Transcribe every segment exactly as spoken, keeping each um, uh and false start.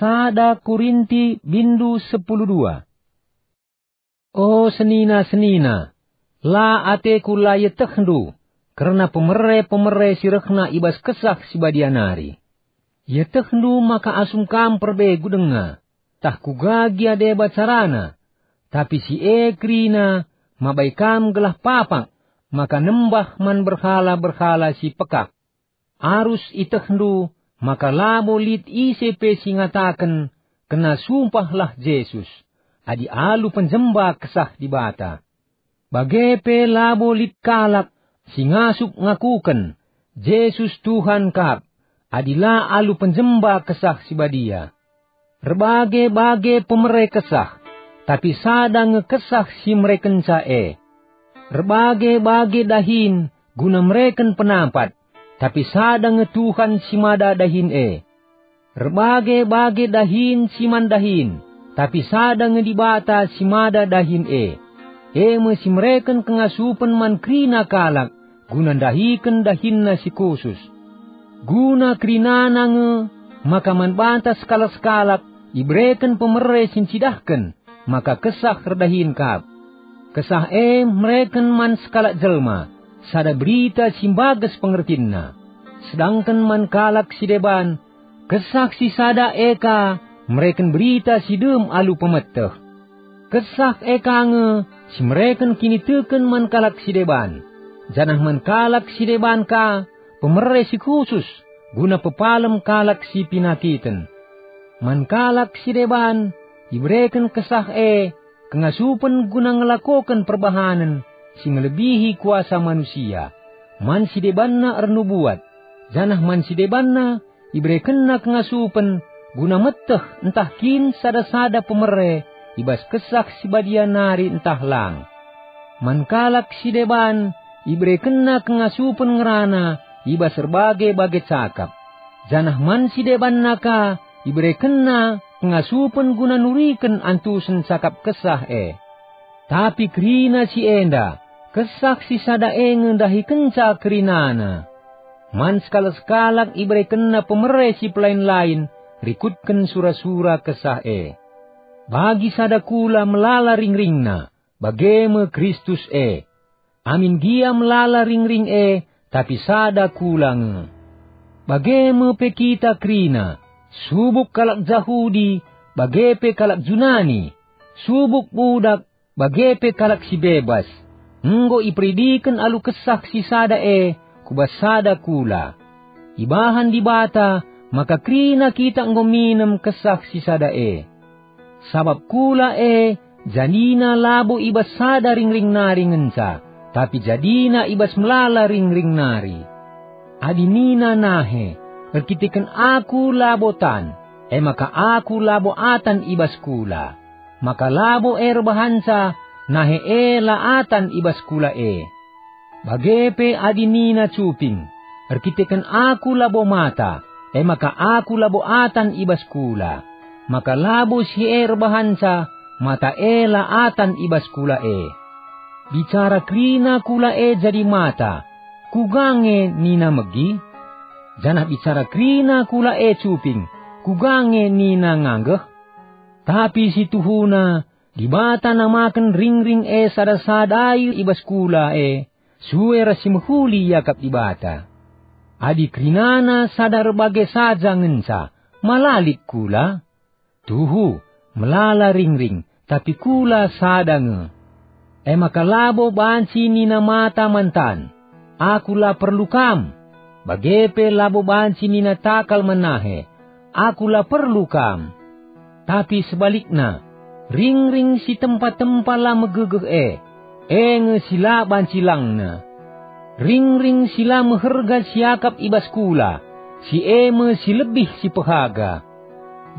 Sada Korinti bindu sepuluh dua. O senina-senina, la ateku la ietehndu kerna pemere-pemere si rehna i bas Kesah Si Badia nari. Ietehndu maka asum kam perbegu denga, tah kuga gia deba carana, tapi si e kerina mabai kam gelah papak maka nembah man berhala-berhala si pekak. Arus ietehndu maka labo lit ise pe si ngataken, "Kena sumpahlah Jesus," adi alu penjemba Kesah Dibata. Bage pe labo lit kalak si ngasup ngakuken, "Jesus Tuhan kap," adi la alu penjemba Kesah Si Badia. Erbage-bage pemere kesah, tapi sada nge Kesah si merekenca e. Erbage-bage dahin guna mereken penampat, tapi sada nge Tuhan si mada dahin e. Erbage-bage dahin si man dahin, tapi sada nge Dibata si mada dahin e. E me si mereken kengasupen man kerina kalak, guna ndahiken dahinna si khusus. Guna kerinana nge maka man banta sekalak-sekalak ibereken pemere si ncidahken maka Kesah erdahin kap. Kesah e mereken man sekalak jelma sada berita si mbages pengertinna, sedangken man kalak si deban, Kesah si sada e ka mereken berita si dem alu pemeteh. Kesah e ka nge si mereken kiniteken man kalak si deban, janah man kalak si deban ka pemere si khusus guna pepalem kalak si penakiten. Man kalak si deban ibereken Kesah e kengasupen guna ngelakoken perbahanen si ngelebihi kuasa manusia. Man si debanna ernubuat, janah man si debanna iberekenna kengasupen guna meteh ntah kin sada-sada pemere i bas Kesah Si Badia nari ntah lang. Man kalak si deban iberekenna kengasupen ngerana i bas erbage-bage cakap, janah man si debanna ka iberekenna kengasupen guna nuriken antusen cakap Kesah e. Tapi kerina si enda, Kesah si sada e nge ndahikenca kerinana. Man sekalak-sekalak iberekenna pemere si pelain-lain rikutken sura-sura Kesah e. Bagi sada kula melala ringringna, bage me Kristus e. Amin gia melala ringring e, tapi sada kula nge. Bage me pe kita kerina, subuk kalak Jahudi, bage pe kalak Junani, subuk budak, bage pe kalak si bebas, enggo iperidiken alu Kesah si sada e ku bas sada kula. Ibahan Dibata maka kerina kita enggo minem Kesah si sada e. Sabap kula e jadina labo i bas sada ringring nari ngenca, tapi jadina i bas melala ringring nari. Adi nina nahe, "Erkiteken aku labo tan," e maka aku labo atan i bas kula, maka labo e erbahanca nahe e la atan i bas kula e. Bage pe adi nina cuping, "Erkiteken aku labo mata," e maka aku labo atan i bas kula, maka labo si e erbahanca mata e la atan i bas kula e. Bicara kerina kula e jadi mata, kuga nge nina megi? Janah bicara kerina kula e cuping, kuga nge nina nganggeh? Tapi si tuhuna, Dibata namaken ringring e sada-sadai i bas kula e, sue ras si mehuli iakap Dibata. Adi kerinana sada erbage saja ngenca, ma la lit kula? Tuhu, melala ringring, tapi kula sada nge. E maka labo banci nina mata man tan, "Aku la perlu kam," bage pe labo banci nina takal man nahe, "Aku la perlu kam." Tapi sebalikna, ringring si tempa-tempa la megegeh e, e nge si la banci langna. Ringring si la meherga siakap i bas kula, si e me si lebih si pehaga.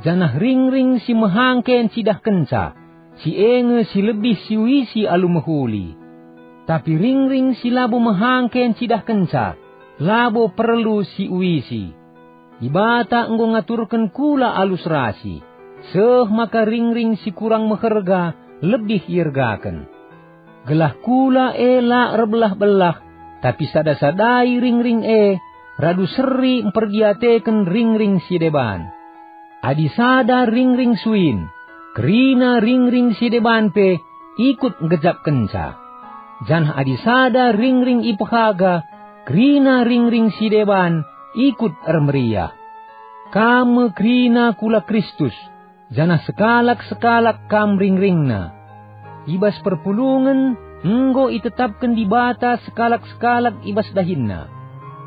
Janah ringring si mehangke ncidahkenca, si e nge si lebih siuisi alu mehuli. Tapi ringring si labo mehangke ncidahkenca, labo perlu siuisi. Dibata enggo ngaturken kula alu serasi, seh maka ringring si kurang meherga lebih iergaken. Gelah kula e la erbelah-belah, tapi sada-sadai ringring e radu seri mperdiateken ringring si deban. Adi sada ringring suin, kerina ringring si deban pe ikut nggejapkenca. Janah adi sada ringring ipehaga, kerina ringring si deban ikut ermeriah. Kam me kerina kula Kristus, janah sekalak-sekalak kam ringringna. I bas perpulungen enggo itetapken Dibata sekalak-sekalak i bas dahinna.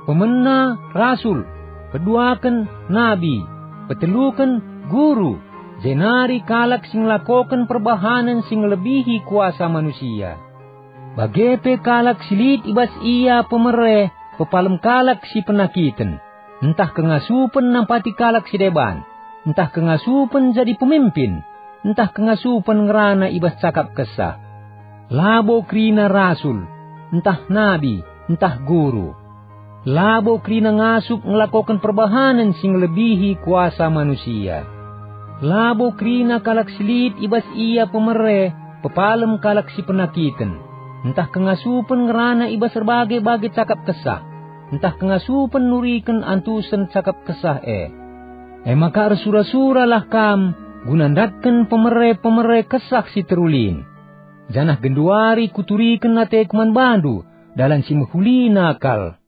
Pemena rasul, peduaken nabi, peteluken guru, jenari kalak si ngelakoken perbahanen si ngelebihi kuasa manusia. Bage pe kalak si lit i bas ia pemere pepalem kalak si penakiten, ntah kengasupen nampati kalak si deban, ntah kengasupen jadi pemimpin, ntah kengasupen ngerana i bas cakap Kesah. Labo kerina rasul, ntah nabi, ntah guru. Labo kerina ngasup ngelakoken perbahanen si ngelebihi kuasa manusia. Labo kerina kalak si lit i bas ia pemere pepalem kalak si penakiten, ntah kengasupen ngerana i bas erbage-bage cakap Kesah, ntah kengasupen nuriken antusen cakap Kesah e. E maka ersura-suralah kam guna ndatken pemere-pemere Kesah si terulin, janah genduari kuturiken ateku man bandu dalan si mehulina kal.